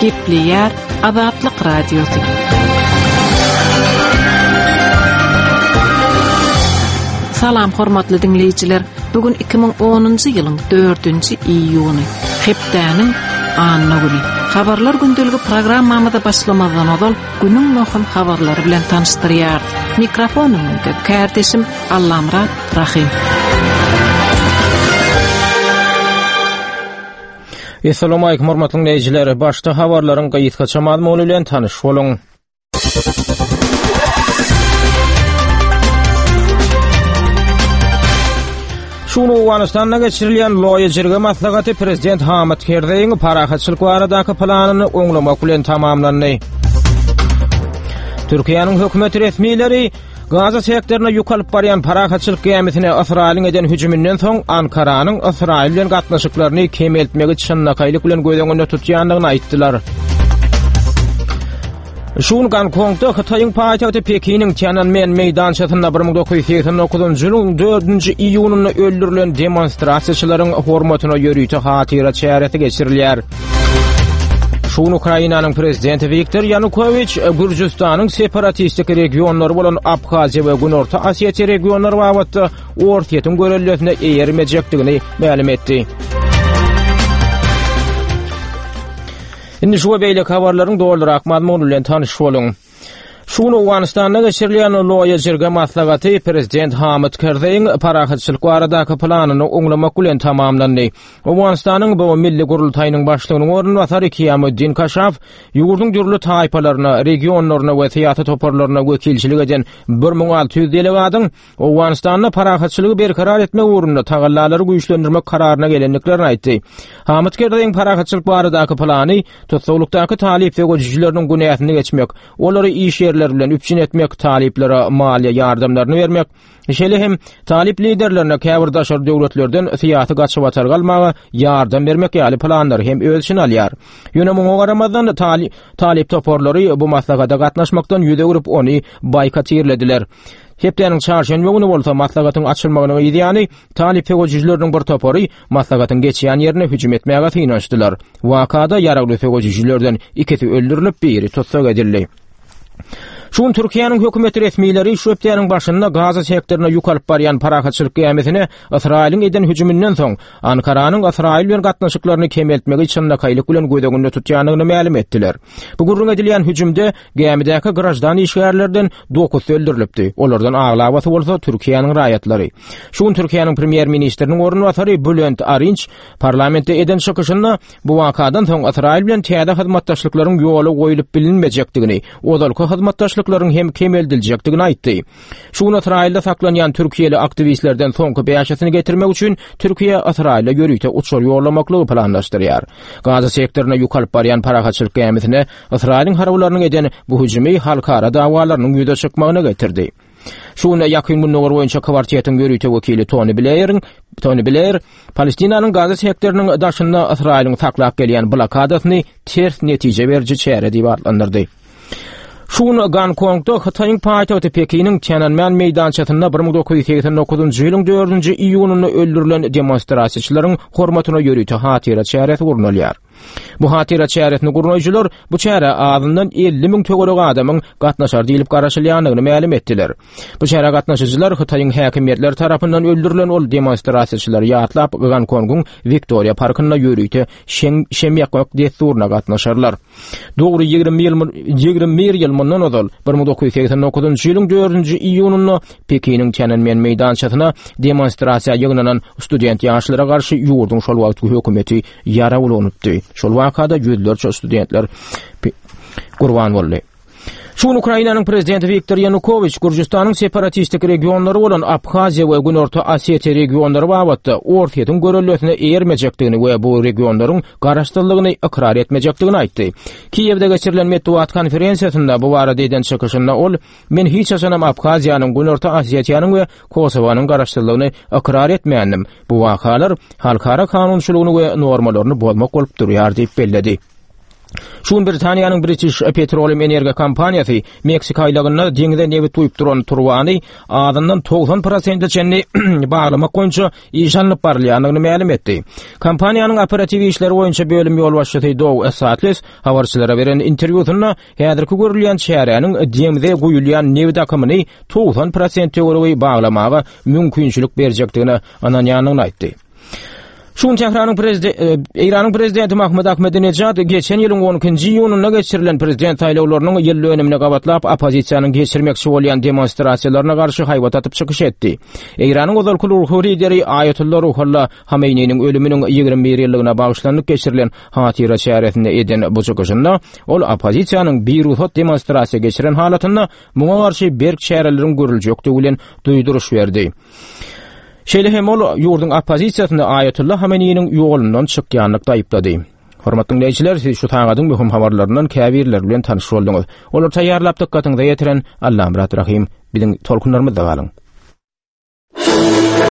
Gepleýär Azatlyk Radiosy. Salam hormatly diňleýjiler. Bu gün 2010-njy ýylyň 4-nji iýuny, hepdäniň anna güni. Habarlar gündeligi programmamyza başlamazdan ozal günüň möhüm habarlary bilen tanyşdyrýarys. Mikrofon öňünde kärdeşim Allamyrat Rahym. Assalamualaikum hormatly dinleýjiler. Başda habarlaryň gysgaça mazmuny bilen tanyş boluň. Şu gün Owganystanda geçirilýän Loýa Jirge maslahaty prezident Hamid Kerzeýiň parahatçylyk baradaky planyny oňlamak bilen tamamlandy. Türkiýäniň hökümet resmileri Gaza sektoryna ýük alyp barýan parahatçylyk gämisine Ysraýylyň eden hüjüminden soň Ankaranyň Ysraýyl bilen gatnaşyklaryny kemeltmegi çynlakaýlyk bilen göz öňünde tutýandygyny aýtdylar. Şu gün Gonkongda Hytaýyň paýtagty Pekiniň Tiananmen meýdançasynda 1989-njy ýylyň 4-nji iýunynda öldürilen demonstrasiýaçylaryň hormatyna ýörite hatyra çäresi geçirilýär. Şu gün Ukrainanyň prezidenti Wiktor Ýanukowiç Gürjüstanyň separatistik regionlary bolan Abhaziýa we Günorta Osetiýa regionlary babatda Orsýetiň göreldesine eýermejekdigini mälim etdi. Indi şu we beýleki habarlaryň dolurak mazmuny bilen tanyş boluň. Şu gün Owganystanda geçirilýän Loýa Jirga maslahaty prezident Hamid Kerzeýiň parahatçylyk baradaky planyny oňlamak bilen tamamlandy. Owganystanyň bu milli gurultaýynyň başlygynyň orunbasary Kiýamuddin Kaşaf ýurduň dürli taýpalaryna, regionlaryna we syýasy toparlaryna wekilçilik eden 1600 delegatyň Owganystanda parahatçylygy berkarar etmek ugrunda tagallalary güýçlendirmek kararyna gelendiklerini aýtdy. Hamid Kerzeýiň parahatçylyk baradaky plany tussaglykdaky talyp söweşijileriniň günäsini geçmek, olary iş ýerleri bilen üpjün etmek, talyplara maliýe ýardamlaryny bermek, şeýle hem talyp liderlerine käbir daşary döwletlerden syýasy gaçybatalga almaga ýardam bermek ýaly planlary hem öz içine alýar. Ýöne muňa garamazdan talyp toparlary bu maslahata gatnaşmakdan ýüz öwrüp, ony boýkotirlediler. Hepdäniň çarşenbe güni bolsa maslahatyň açylmagynyň yzýany talyp söweşijileriniň bir topary maslahatyň geçýän ýerine hüjüm etmäge synanyşdylar. Wakada ýaragly söweşijilerden ikisi öldürilip, biri tussag edildi. Şu gün Türkiýäniň hökümet resmileri şu hepdäniň başynda Gaza sektoryna ýük alyp barýan parahatçylyk gämisine Ysraýylyň eden hüjüminden soň Ankaranyň Ysraýyl bilen gatnaşyklaryny kemeltmegi çynlakaýlyk bilen göz öňünde tutýandygyny mälim etdiler. Bu gürrüň edilýän hüjümde gämidäki graždan işgärlerden dokuzsy öldürilipdi. Olardan aglabasy bolsa Türkiýäniň raýatlary. Şu gün Türkiýäniň premýer-ministriniň orunbasary Bülent Arinç parlamentde eden çykyşynda bu wakadan soň Ysraýyl bilen täze hyzmatdaşlyklaryň ýola goýlup bilinmejekdigini, ozalky hyzmatdaşlyklaryň hem kemeldiljekdigini aýtdy. Şu gün Ysraýylda saklanýan türkiýeli aktiwistlerden soňky bäşisini getirmek üçin Türkiýe Ysraýyla ýörite uçar ýollamaklygy planlaşdyrýar. Gaza sektoryna ýük alyp barýan parahatçylyk gämisine Ysraýylyň harbylarynyň eden bu hüjümi halkara dawalarynyň ýüze çykmagyna getirdi. Şu gün Ýakyn Gündogar boýunça kwartetiň ýörite wekili Toni Bleýeriň Toni Bleýer Palestinanyň Gaza sektorynyň daşynda Ysraýylyň saklap gelýän blokadasyny ters netije beriji çäre diýip atlandyrdy. Şu gün Gonkongda Hytaýyň paýtagty Pekiniň Tiananmen meýdançasynda 1989-njy ýylyň 4-nji iýunynda öldürilen demonstrasiýaçylaryň hormatyna ýörite hatyra çäresi gurnalýar. Bu hatyra çäresini gurnaýjylar bu çärä azyndan 50 müň töweregi adamyň gatnaşar diýlip garaşylýandygyny mälim etdiler. Bu çärä gatnaşyjylar Hytaýyň häkimiýetleri tarapyndan öldürilen ol demonstrasiýaçylary ýatlap Gonkongyň Wiktoriýa parkynda ýörite şem ýakmak dessuryna gatnaşarlar. Dogry 21 ýyl mundan ozal 1989-njy ýylyň 4-nji iýunynda Pekiniň Tiananmen meýdançasyna demonstrasiýa ýygnanan student ýaşlara garşy ýurduň şol wagtky hökümeti ýarag ulanypdy. Şol wakada ýüzlerçe studentler gurban boldy. Şu gün Ukrainanyň prezidenti Wiktor Ýanukowiç Gürjüstanyň separatistik regionlary bolan Abhaziýa we Günorta Osetiýa regionlary babatda Orsýetiň göreldesine eýermejekdigini we bu regionlaryň garaşsyzlygyny ykrar etmejekdigini aýtdy. Kiýewde geçirilen metbugat konferensiýasynda bu barada eden çykyşynda ol, Men hiç haçanam Abhaziýanyň, Günorta Osetiýanyň we Kosowanyň garaşsyzlygyny ykrar etmändim. Bu wakalar halkara kanunçylygyny we normalaryny bozmak bolup durýar diýip belledi. Şu gün Britaniýanyň British Petroleum energiýa kompaniýasy Meksika aýlagynda deňize nebit guýup duran turbany azyndan 90 prosente çenli baglamak boýunça iş alnyp barylýandygyny mälim etdi. Kompaniýanyň operatiw işleri boýunça bölüm ýolbaşçysy Doug Satles habarçylara beren interwýusynda häzirki görülýän çäräniň deňize guýulýan nebit akymyny 90 prosent töweregi baglamaga mümkinçilik berjekdigine ynanýandygyny aýtdy. Şu gün Tähranyň prezidenti e, Eýranyň prezidenti Mahmud Ahmedinejad geçen ýylyň 12-nji iýunynda geçirilen prezident saýlawlarynyň ýyl dönümine gabatlap oppozisiýanyň geçirmekçi bolýan demonstrasiýalaryna garşy haýbat atyp çykyş etdi. Eýranyň ozalky ruhy lideri Aýatolla Ruhollah Hameýniniň ölüminiň 21 ýyllygyna bagyşlanyp geçirilen hatyra çäresinde eden bu çykyşynda ol oppozisiýanyň birugsat demonstrasiýa geçiren halatynda muňa garşy berk çäreleriň görüljekdigi bilen duýduryş berdi. Şeýle hem ol ýurduň oppozisiýasyny Aýatolla Hameneýiniň ýolundan çykýanlykda aýyplady. Hormatly diňleýjiler, siz şu sagadyň möhüm habarlaryndan käbirleri bilen tanyş bolduňyz. Olary taýýarlap dykgatyňyza ýetiren Allamyrat Rahym. Biziň tolkunlarymyzda galyň.